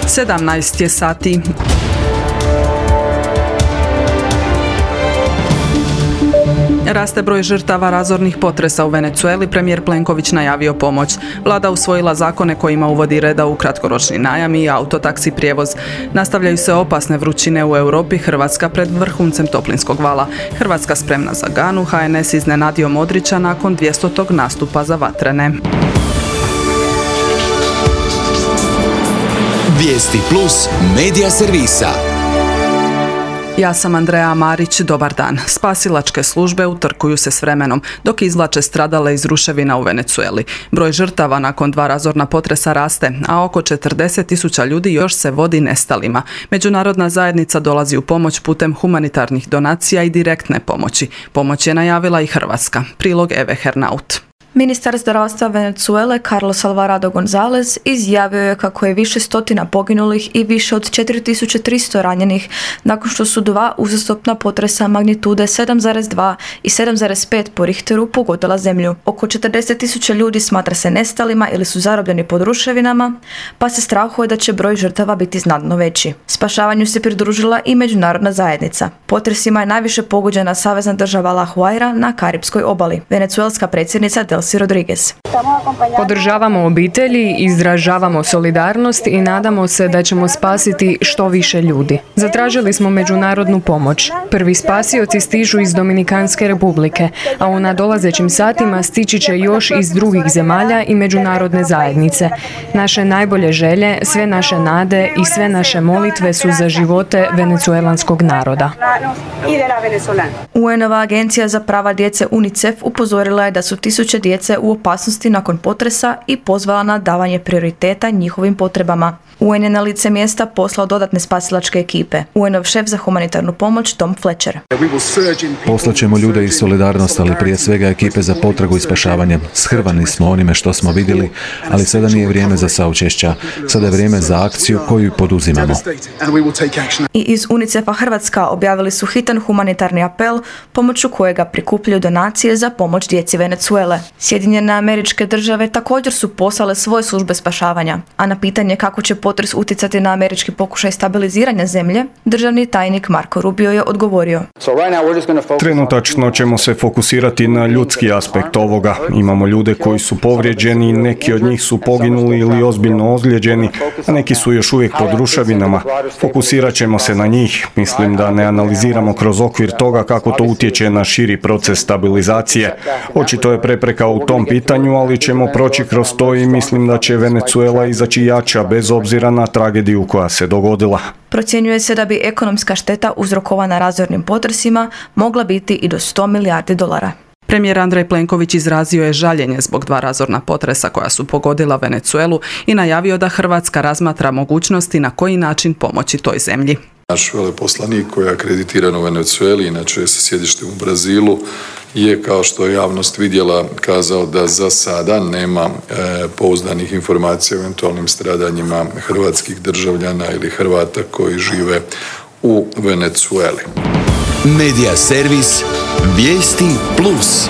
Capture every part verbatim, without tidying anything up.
sedamnaest je sati. Raste broj žrtava razornih potresa u Venezueli, premijer Plenković najavio pomoć. Vlada usvojila zakone kojima uvodi reda u kratkoročni najam i autotaksi prijevoz. Nastavljaju se opasne vrućine u Europi, Hrvatska pred vrhuncem toplinskog vala. Hrvatska spremna za Ganu, H N S iznenadio Modrića nakon dvjesetog nastupa za Vatrene. Vijesti plus medija servisa. Ja sam Andreja Marić, dobar dan. Spasilačke službe utrkuju se s vremenom dok izvlače stradale iz ruševina u Venezueli. Broj žrtava nakon dva razorna potresa raste, a oko četrdeset tisuća ljudi još se vodi nestalima. Međunarodna zajednica dolazi u pomoć putem humanitarnih donacija i direktne pomoći. Pomoć je najavila i Hrvatska. Prilog Eve Hernaut. Ministar zdravstva Venezuele Carlos Alvarado González izjavio je kako je više stotina poginulih i više od četiri tisuće tristo ranjenih nakon što su dva uzastopna potresa magnitude sedam zarez dva i sedam zarez pet po Richteru pogodila zemlju. Oko četrdeset tisuća ljudi smatra se nestalima ili su zarobljeni pod ruševinama, pa se strahuje da će broj žrtava biti znatno veći. Spašavanju se pridružila i međunarodna zajednica. Potresima je najviše pogođena savezna država La Guaira na Karipskoj obali. Venezuelska predsjednica Delcy Rodriguez. Podržavamo obitelji, izražavamo solidarnost i nadamo se da ćemo spasiti što više ljudi. Zatražili smo međunarodnu pomoć. Prvi spasioci stižu iz Dominikanske republike, a u nadolazećim satima stići će još iz drugih zemalja i međunarodne zajednice. Naše najbolje želje, sve naše nade i sve naše molitve su za živote venecuelanskog naroda. U N-ova agencija za prava djece UNICEF upozorila je da su tisuće djece u opasnosti nakon potresa i pozvala na davanje prioriteta njihovim potrebama. U N je na lice mjesta poslao dodatne spasilačke ekipe. U N-ov šef za humanitarnu pomoć Tom Fletcher. Poslaćemo ljude iz solidarnosti, ali prije svega ekipe za potragu i spašavanje. Shrvani smo onime što smo vidjeli, ali sada nije vrijeme za saučešća. Sada je vrijeme za akciju koju poduzimamo. I iz UNICEF-a Hrvatska objavili su hitan humanitarni apel pomoću kojega prikupljaju donacije za pomoć djeci Venezuele. Sjedinjene Američke Države također su poslale svoje službe spašavanja, a na pitanje kako će potres utjecati na američki pokušaj stabiliziranja zemlje, državni tajnik Marco Rubio je odgovorio. Trenutačno ćemo se fokusirati na ljudski aspekt ovoga. Imamo ljude koji su povrijeđeni, neki od njih su poginuli ili ozbiljno ozlijeđeni, a neki su još uvijek pod ruševinama. Fokusirat ćemo se na njih. Mislim da ne analiziramo kroz okvir toga kako to utječe na širi proces stabilizacije. Očito je prepreka u tom pitanju, ali ćemo proći kroz to i mislim da će Venezuela izaći jača bez obzira na tragediju koja se dogodila. Procjenjuje se da bi ekonomska šteta uzrokovana razornim potresima mogla biti i do sto milijardi dolara. Premijer Andrej Plenković izrazio je žaljenje zbog dva razorna potresa koja su pogodila Venezuelu i najavio da Hrvatska razmatra mogućnosti na koji način pomoći toj zemlji. Naš veleposlanik koji je akreditiran u Venezueli, inače je sa sjedištem u Brazilu, je, kao što je javnost vidjela, kazao da za sada nema e, pouzdanih informacija o eventualnim stradanjima hrvatskih državljana ili Hrvata koji žive u Venezueli. Medija servis Vijesti plus.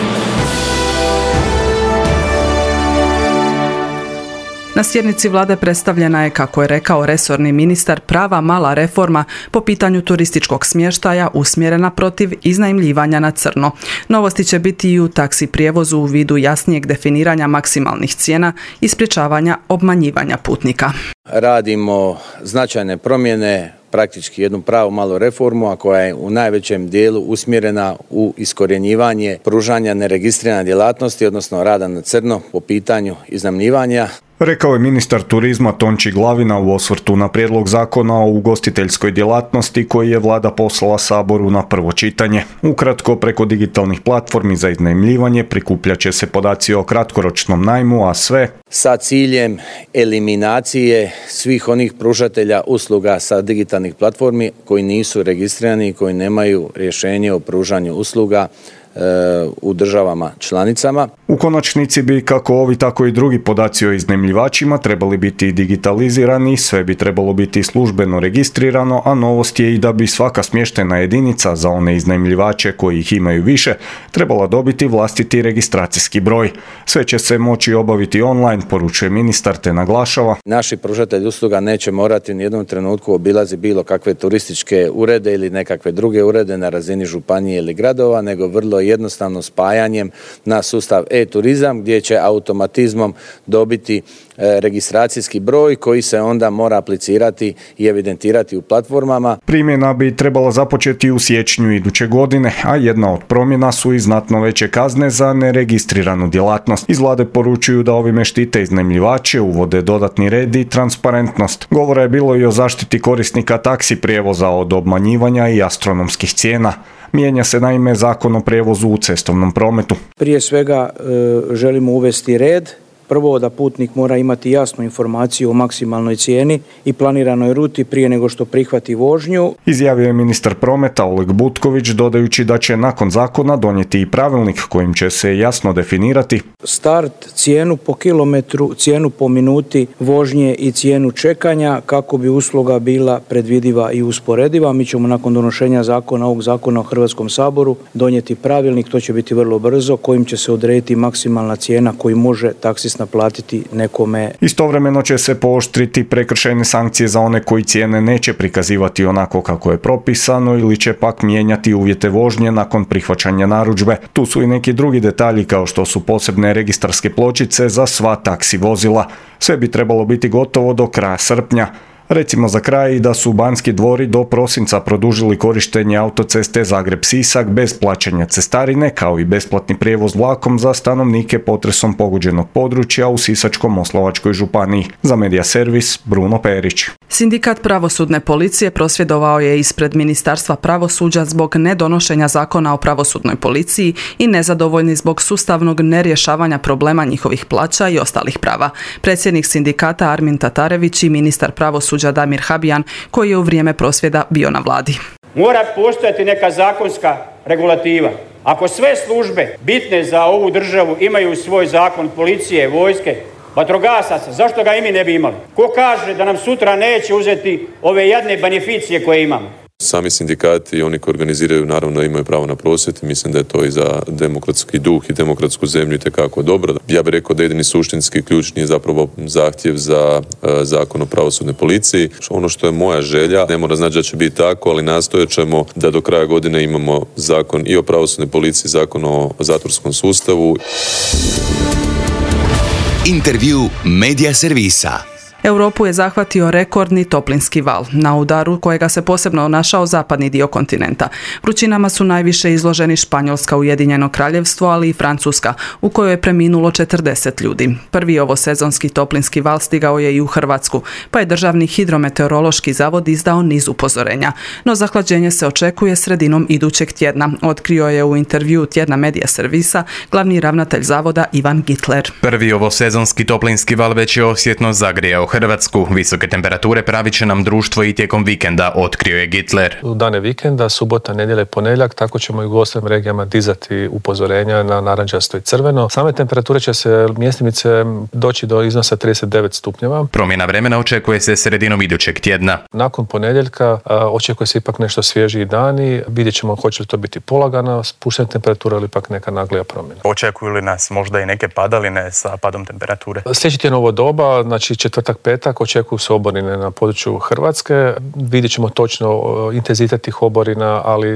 Na sjednici vlade predstavljena je, kako je rekao resorni ministar, prava mala reforma po pitanju turističkog smještaja usmjerena protiv iznajmljivanja na crno. Novosti će biti i u taksi prijevozu u vidu jasnijeg definiranja maksimalnih cijena i sprječavanja obmanjivanja putnika. Radimo značajne promjene, praktički jednu pravu malu reformu, a koja je u najvećem dijelu usmjerena u iskorjenjivanje pružanja neregistrirane djelatnosti, odnosno rada na crno po pitanju iznajmljivanja. Rekao je ministar turizma Tonči Glavina u osvrtu na prijedlog zakona o ugostiteljskoj djelatnosti koji je vlada poslala Saboru na prvo čitanje. Ukratko, preko digitalnih platformi za iznajmljivanje prikupljat će se podaci o kratkoročnom najmu, a sve sa ciljem eliminacije svih onih pružatelja usluga sa digitalnih platformi koji nisu registrirani i koji nemaju rješenje o pružanju usluga u državama članicama. U konačnici bi kako ovi tako i drugi podaci o iznajmljivačima trebali biti digitalizirani, sve bi trebalo biti službeno registrirano, a novost je i da bi svaka smještena jedinica za one iznajmljivače koji ih imaju više trebala dobiti vlastiti registracijski broj. Sve će se moći obaviti online, poručuje ministar te naglašava. Naši pružatelji usluga neće morati u jednom trenutku obilazi bilo kakve turističke urede ili nekakve druge urede na razini županije ili gradova, nego vrlo jednostavno spajanjem na sustav e-turizam gdje će automatizmom dobiti registracijski broj koji se onda mora aplicirati i evidentirati u platformama. Primjena bi trebala započeti u siječnju iduće godine, a jedna od promjena su i znatno veće kazne za neregistriranu djelatnost. Iz vlade poručuju da ovime štite iznajmljivače, uvode dodatni red i transparentnost. Govora je bilo i o zaštiti korisnika taksi prijevoza od obmanjivanja i astronomskih cijena. Mijenja se naime Zakon o prijevozu u cestovnom prometu. Prije svega e, želimo uvesti red. Prvo da putnik mora imati jasnu informaciju o maksimalnoj cijeni i planiranoj ruti prije nego što prihvati vožnju. Izjavio je ministar prometa Oleg Butković, dodajući da će nakon zakona donijeti i pravilnik kojim će se jasno definirati start, cijenu po kilometru, cijenu po minuti vožnje i cijenu čekanja kako bi usluga bila predvidiva i usporediva. Mi ćemo nakon donošenja zakona, ovog zakona u Hrvatskom saboru donijeti pravilnik, to će biti vrlo brzo, kojim će se odrediti maksimalna cijena koju može taksist naplatiti nekome. Istovremeno će se pooštriti prekršajne sankcije za one koji cijene neće prikazivati onako kako je propisano ili će pak mijenjati uvjete vožnje nakon prihvaćanja narudžbe. Tu su i neki drugi detalji kao što su posebne registarske pločice za sva taksi vozila. Sve bi trebalo biti gotovo do kraja srpnja. Recimo za kraj i da su Banski dvori do prosinca produžili korištenje autoceste Zagreb-Sisak bez plaćanja cestarine, kao i besplatni prijevoz vlakom za stanovnike potresom pogođenog područja u Sisačko-moslavačkoj županiji. Za Medija servis Bruno Perić. Sindikat pravosudne policije prosvjedovao je ispred Ministarstva pravosuđa zbog nedonošenja zakona o pravosudnoj policiji i nezadovoljni zbog sustavnog nerješavanja problema njihovih plaća i ostalih prava. Predsjednik sindikata Armin Tatarević i ministar pravosuđa Damir Habijan, koji je u vrijeme prosvjeda bio na vladi. Mora postojati neka zakonska regulativa. Ako sve službe bitne za ovu državu imaju svoj zakon policije, vojske, vatrogasaca, zašto ga i mi ne bi imali? Ko kaže da nam sutra neće uzeti ove jadne beneficije koje imamo? Sami sindikati i oni koji organiziraju naravno imaju pravo na prosvjed i mislim da je to i za demokratski duh i demokratsku zemlju itekako dobro. Ja bih rekao da jedini suštinski ključni je zapravo zahtjev za uh, zakon o pravosudnoj policiji. Ono što je moja želja, ne mora znači da će biti tako, ali nastojat ćemo da do kraja godine imamo zakon i o pravosudnoj policiji, zakon o zatvorskom sustavu. Intervju Medija servisa. Europu je zahvatio rekordni toplinski val, na udaru kojega se posebno našao zapadni dio kontinenta. Vrućinama su najviše izloženi Španjolska, Ujedinjeno Kraljevstvo, ali i Francuska, u kojoj je preminulo četrdeset ljudi. Prvi ovosezonski toplinski val stigao je i u Hrvatsku, pa je Državni hidrometeorološki zavod izdao niz upozorenja. No zahlađenje se očekuje sredinom idućeg tjedna, otkrio je u intervjuu tjedna Medija servisa glavni ravnatelj zavoda Ivan Gitler. Prvi ovosezonski toplinski val već je osjetno zagrijao Hrvatsku. Visoke temperature pravit će nam društvo i tijekom vikenda, otkrio je Gitler. U dane vikenda, subota, nedjelja i ponedjeljak, tako ćemo i u ostalim regijama dizati upozorenja na narančasto i crveno. Same temperature će se mjestimice doći do iznosa trideset devet stupnjeva. Promjena vremena očekuje se sredinom idućeg tjedna. Nakon ponedjeljka a, očekuje se ipak nešto svježiji dani. Vidjet ćemo hoće li to biti polagana spuštena temperatura ili ipak neka naglija promjena. Očekuju li nas možda i neke padaline sa padom temperature? Sljedeći tjedan ovo doba, znači četvrtak, petak, očekuju se oborine na području Hrvatske. Vidjet ćemo točno intenzitet tih oborina, ali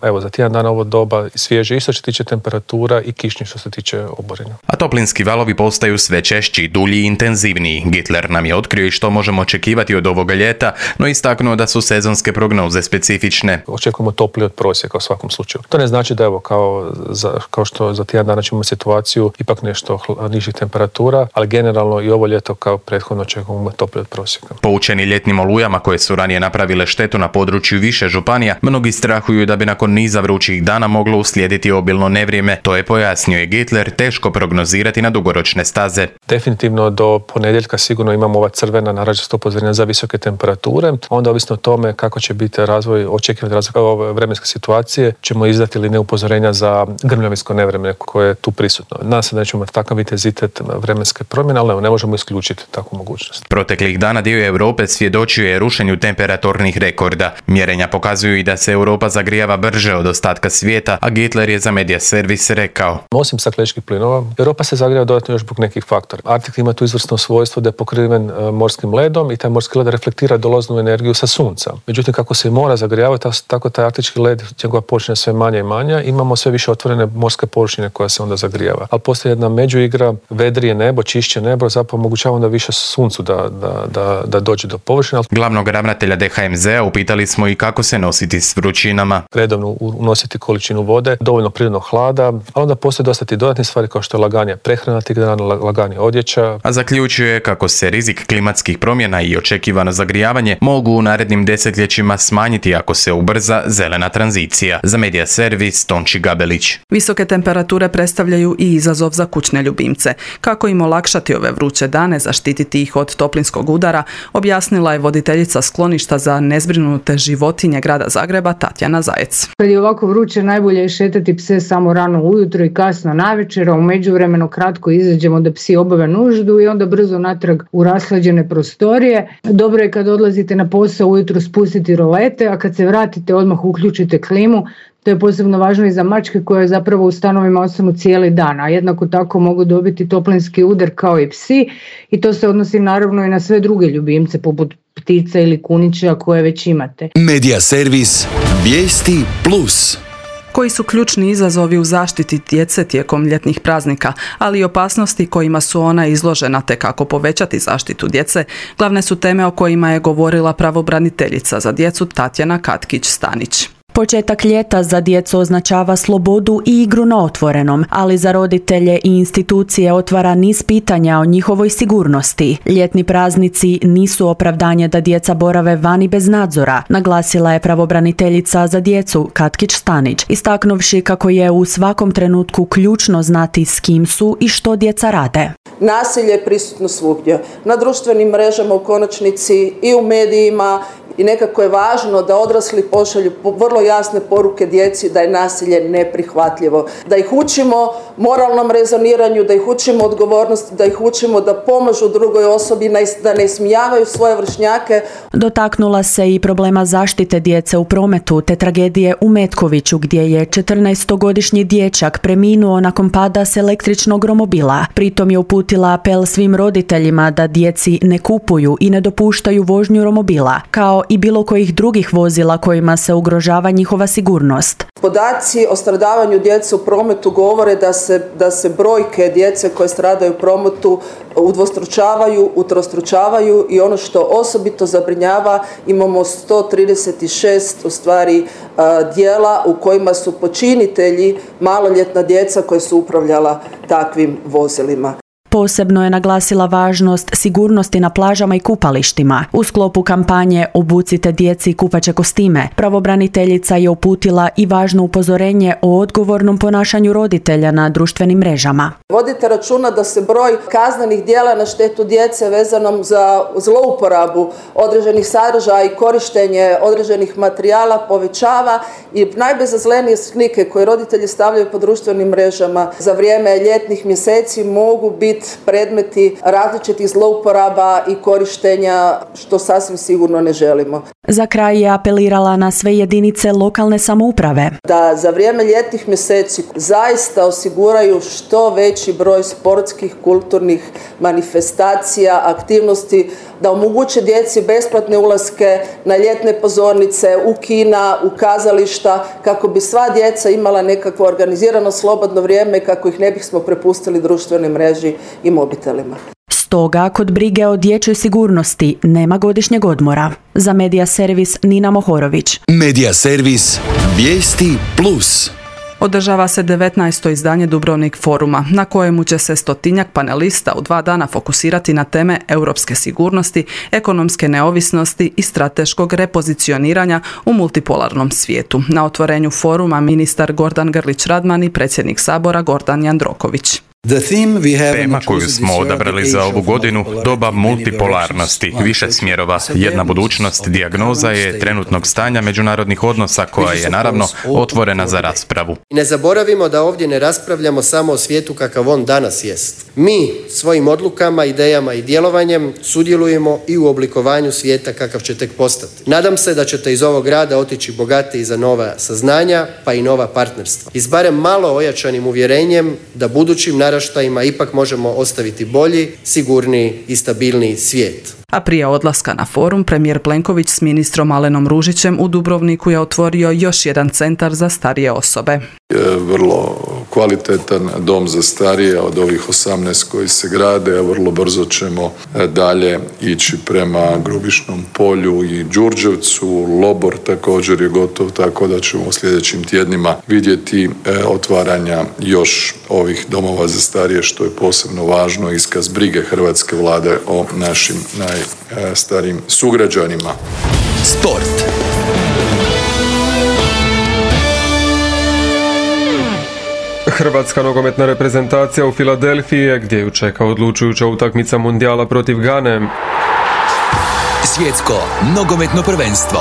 evo za tjedan dana ovo doba svježe isto što se tiče temperatura i kišnje što se tiče oborina. A toplinski valovi postaju sve češći, dulji i intenzivniji. Gitler nam je otkrio i što možemo očekivati od ovoga ljeta, no istaknuo da su sezonske prognoze specifične. Očekujemo toplije od prosjeka u svakom slučaju. To ne znači da evo kao, za, kao što za tjedan dana ćemo situaciju ipak nešto nižih temperatura, ali generalno i ovo ljeto kao prethodno očekujemo mogu imati toplije od prosjeka. Poučeni ljetnim olujama koje su ranije napravile štetu na području više županija, mnogi strahuju da bi nakon niza vrućih dana moglo uslijediti obilno nevrijeme. To je pojasnio i Gittler, teško prognozirati na dugoročne staze. Definitivno do ponedjeljka sigurno imamo ova crvena narančasta upozorenja za visoke temperature. Onda ovisno o tome kako će biti razvoj, očekivani razvoj ove vremenske situacije, ćemo izdati ili ne upozorenja za grmljavinsko nevrijeme koje je tu prisutno. Nadam se da ćemo imati takav intenzitet vremenske promjene, ali ne možemo isključiti takvu mogućnost. Proteklih dana dio Europe svjedočio je rušenju temperaturnih rekorda. Mjerenja pokazuju i da se Europa zagrijava brže od ostatka svijeta, a Gittler je za Media Servis rekao: Osim stakleničkih plinova, Europa se zagrijava dodatno još zbog nekih faktora. Arktik ima tu izvrsno svojstvo da je pokriven uh, morskim ledom i taj morski led reflektira dolaznu energiju sa sunca. Međutim, kako se mora zagrijavati, tako taj arktički led, njegova površina sve manja i manja, imamo sve više otvorene morske površine koja se onda zagrijava. Ali postoji jedna međuigra, vedrije nebo, čišće nebo, zapravo omogućava onda više suncu da, da, da, da dođe do površine. Glavnog ravnatelja D H M Z-a upitali smo i kako se nositi s vrućinama. Redovno unositi količinu vode, dovoljno prirodnog hlada, ali onda postoje dosta ti dodatni stvari kao što je laganje prehrana tih dana, laganje odjeća. A zaključuje kako se rizik klimatskih promjena i očekivano zagrijavanje mogu u narednim desetljećima smanjiti ako se ubrza zelena tranzicija. Za Media Servis, Tonči Gabelić. Visoke temperature predstavljaju i izazov za kućne ljubimce. Kako im olakšati ove vruće dane, zaštititi ih od toplinskog udara, objasnila je voditeljica skloništa za nezbrinute životinje grada Zagreba Tatjana Zajec. Kad je ovako vruće, najbolje je šetati pse samo rano ujutro i kasno navečer, a u međuvremenu kratko izađemo da psi obave nuždu i onda brzo natrag u raslađene prostorije. Dobro je kad odlazite na posao ujutro spustiti rolete, a kad se vratite odmah uključite klimu. To je posebno važno i za mačke koje zapravo u stanovima ostanu cijeli dan, a jednako tako mogu dobiti toplinski udar kao i psi i to se odnosi naravno i na sve druge ljubimce poput ptica ili kunića koje već imate. Media Servis, vijesti plus. Koji su ključni izazovi u zaštiti djece tijekom ljetnih praznika, ali i opasnosti kojima su ona izložena te kako povećati zaštitu djece, glavne su teme o kojima je govorila pravobraniteljica za djecu Tatjana Katkić-Stanić. Početak ljeta za djecu označava slobodu i igru na otvorenom, ali za roditelje i institucije otvara niz pitanja o njihovoj sigurnosti. Ljetni praznici nisu opravdanje da djeca borave vani bez nadzora, naglasila je pravobraniteljica za djecu Katkić-Stanić, istaknuvši kako je u svakom trenutku ključno znati s kim su i što djeca rade. Nasilje je prisutno svugdje, na društvenim mrežama u konačnici i u medijima, i nekako je važno da odrasli pošalju vrlo jasne poruke djeci da je nasilje neprihvatljivo. Da ih učimo moralnom rezoniranju, da ih učimo odgovornosti, da ih učimo da pomažu drugoj osobi, da ne ismijavaju svoje vršnjake. Dotaknula se i problema zaštite djece u prometu te tragedije u Metkoviću gdje je četrnaestogodišnji dječak preminuo nakon pada s električnog romobila. Pritom je uputila apel svim roditeljima da djeci ne kupuju i ne dopuštaju vožnju romobila, kao i bilo kojih drugih vozila kojima se ugrožava njihova sigurnost. Podaci o stradavanju djece u prometu govore da se, da se brojke djece koje stradaju u prometu udvostručavaju, utrostručavaju i ono što osobito zabrinjava, imamo sto trideset šest u stvari djela u kojima su počinitelji maloljetna djeca koja su upravljala takvim vozilima. Posebno je naglasila važnost sigurnosti na plažama i kupalištima. U sklopu kampanje Obucite djeci kupaće kostime, pravobraniteljica je uputila i važno upozorenje o odgovornom ponašanju roditelja na društvenim mrežama. Vodite računa da se broj kaznenih djela na štetu djece vezanom za zlouporabu određenih sadržaja i korištenje određenih materijala povećava i najbezazlenije slike koje roditelji stavljaju po društvenim mrežama za vrijeme ljetnih mjeseci mogu biti predmeti različitih zlouporaba i korištenja, što sasvim sigurno ne želimo. Za kraj je apelirala na sve jedinice lokalne samouprave da za vrijeme ljetnih mjeseci zaista osiguraju što veći broj sportskih, kulturnih manifestacija, aktivnosti, da omoguće djeci besplatne ulaske na ljetne pozornice, u kina, u kazališta, kako bi sva djeca imala nekakvo organizirano slobodno vrijeme, kako ih ne bismo prepustili društvenoj mreži i mobitelima. Stoga, kod brige o dječjoj sigurnosti nema godišnjeg odmora. Za Media Servis Nina Mohorović. Media Servis, vijesti plus. Održava se devetnaesto izdanje Dubrovnik foruma, na kojemu će se stotinjak panelista u dva dana fokusirati na teme europske sigurnosti, ekonomske neovisnosti i strateškog repozicioniranja u multipolarnom svijetu. Na otvorenju foruma ministar Gordan Grlić Radman i predsjednik Sabora Gordan Jandroković. Tema koju smo odabrali za ovu godinu, doba multipolarnosti, više smjerova, jedna budućnost, dijagnoza je trenutnog stanja međunarodnih odnosa koja je naravno otvorena za raspravu. Ne zaboravimo da ovdje ne raspravljamo samo o svijetu kakav on danas jest. Mi svojim odlukama, idejama i djelovanjem sudjelujemo i u oblikovanju svijeta kakav će tek postati. Nadam se da ćete iz ovog rada otići bogatiji za nova saznanja pa i nova partnerstva. I s barem malo ojačanim uvjerenjem da budućim naraštajima ipak možemo ostaviti bolji, sigurniji i stabilniji svijet. A prije odlaska na forum, premijer Plenković s ministrom Alenom Ružićem u Dubrovniku je otvorio još jedan centar za starije osobe. Vrlo kvalitetan dom za starije od ovih osamnaest koji se grade, a vrlo brzo ćemo dalje ići prema Grubišnom polju i Đurđevcu. Lobor također je gotov, tako da ćemo u sljedećim tjednima vidjeti otvaranja još ovih domova za starije, što je posebno važno, iskaz brige hrvatske vlade o našim najstarijim sugrađanima. Sport. Hrvatska nogometna reprezentacija u Filadelfiji, gdje ju čeka odlučujuća utakmica mundijala protiv Gane. Svjetsko nogometno prvenstvo.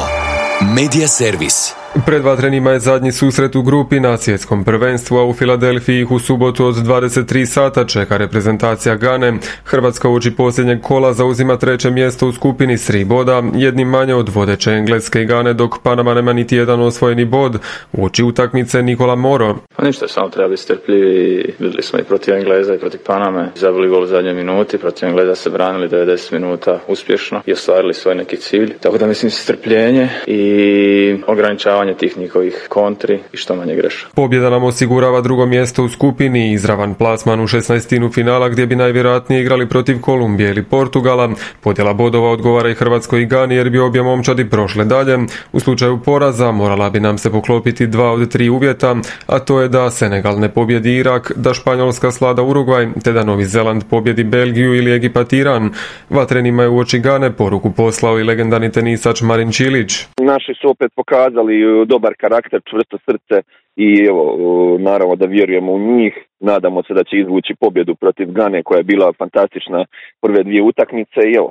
Media servis. Pred vatrenima je zadnji susret u grupi na svjetskom prvenstvu, a u Filadelfiji ih u subotu od dvadeset tri sata čeka reprezentacija Gane. Hrvatska uoči posljednjeg kola zauzima treće mjesto u skupini s tri boda, jednim manje od vodeće Engleske i Gane, dok Panama nema niti jedan osvojeni bod. Uoči utakmice Nikola Moro. Pa ništa, samo treba biti strpljivi. Vidjeli smo i protiv Engleza i protiv Paname. Zabili gol u zadnjoj minuti, protiv Engleza se branili devedeset minuta uspješno i ostvarili svoj neki cilj. Tako da mislim strpljenje i ograničavanje tih njihovih kontri i što manje greša. Pobjeda nam osigurava drugo mjesto u skupini i izravan plasman u šesnaestinu finala, gdje bi najvjerojatnije igrali protiv Kolumbije ili Portugala. Podjela bodova odgovara i Hrvatskoj i Gani, jer bi obje momčadi prošle dalje. U slučaju poraza morala bi nam se poklopiti dva od tri uvjeta, a to je da Senegal ne pobjedi Irak, da Španjolska slada Urugvaj, te da Novi Zeland pobjedi Belgiju ili Egipat Iran. Vatrenima je uoči Gane poruku poslao i legendarni tenisač Marin Čilić. Naši su opet pokazali dobar karakter, čvrsto srce i evo, naravno da vjerujemo u njih. Nadamo se da će izvući pobjedu protiv Gane koja je bila fantastična prve dvije utakmice i evo,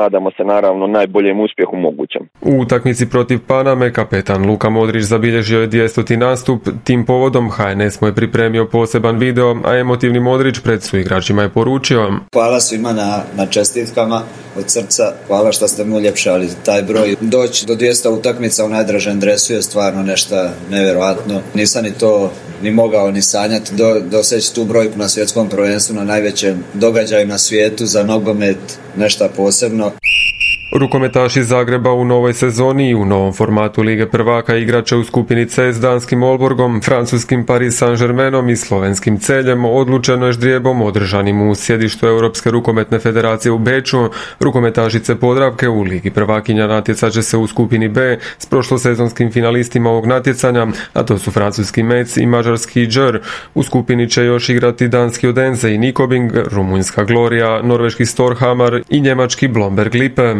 nadamo se naravno najboljem uspjehu mogućem. U utakmici protiv Paname kapetan Luka Modrić zabilježio je dvjestoti nastup. Tim povodom H N S mu je pripremio poseban video, a emotivni Modrić pred suigračima je poručio: Hvala svima na, na čestitkama od srca, hvala što ste mu uljepšali taj broj. Doći do dvjesto utakmica u najdražem dresu je stvarno nešto nevjerojatno. Nisam ni to ni mogao ni sanjati do doseći tu brojku na svjetskom prvenstvu, na najvećem događaju na svijetu za nogomet, nešto posebno. Rukometaši iz Zagreba u novoj sezoni i u novom formatu Lige prvaka igrače u skupini C s danskim Olborgom, francuskim Paris Saint-Germainom i slovenskim Celjem odlučeno je ždrijebom održanim u sjedištu Europske rukometne federacije u Beču. Rukometašice Podravke u Ligi prvakinja natjecat će se u skupini B s prošlosezonskim finalistima ovog natjecanja, a to su francuski Metz i mađarski Džer. U skupini će još igrati danski Odense i Nikobing, rumunjska Gloria, norveški Storhamar i njemački Blomberg Lippe.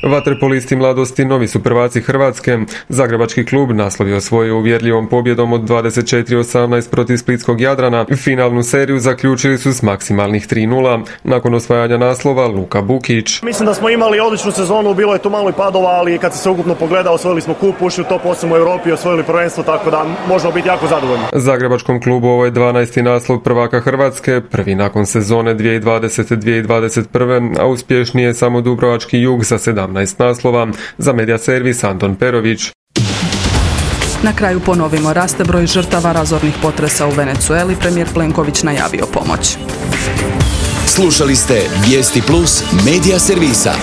Vaterpolisti mladosti novi su prvaci Hrvatske. Zagrebački klub naslov je osvojio uvjerljivom pobjedom od dvadeset četiri osamnaest protiv splitskog Jadrana. Finalnu seriju zaključili su s maksimalnih tri nula. Nakon osvajanja naslova Luka Bukić. Mislim da smo imali odličnu sezonu, bilo je tu malo i padova, ali kad se ukupno pogleda, osvojili smo kup, ušli u top osam u Europi, osvojili prvenstvo, tako da možemo biti jako zadovoljni. Zagrebačkom klubu ovo je dvanaesti naslov prvaka Hrvatske, prvi nakon sezone dvije tisuće dvadesete dvije tisuće dvadeset prve, a uspješniji je samo Dubrovački Jug sa sedamnaest naslova. Za Media servis Anton Perović. Na kraju ponovimo, raste broj žrtava razornih potresa u Venecueli, premijer Plenković najavio pomoć. Slušali ste Vijesti Plus Media servisa.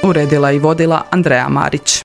Uredila i vodila Andreja Marić.